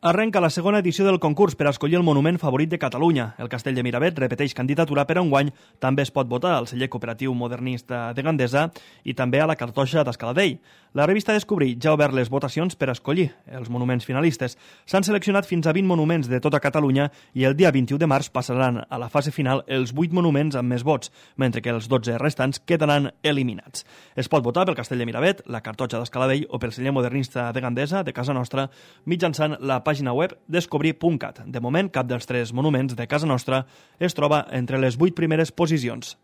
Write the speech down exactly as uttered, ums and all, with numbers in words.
Arrenca la segona edició del concurs per a escollir el monument favorit de Catalunya. El Castell de Miravet repeteix candidatura per a enguany. També es pot votar al celler cooperatiu modernista de Gandesa i també a la cartoixa d'Escaladell. La revista Descobrir ja ha obert les votacions per a escollir els monuments finalistes. S'han seleccionat fins a vint monuments de tota Catalunya i el dia vint-i-u de març passaran a la fase final els vuit monuments amb més vots, mentre que els dotze restants quedaran eliminats. Es pot votar pel Castell de Miravet, la cartoixa d'Escaladell o pel celler modernista de Gandesa, de casa nostra, mitjançant la pàgina web descobrir punt cat. De moment, cap dels tres monuments de casa nostra es troba entre les vuit primeres posicions.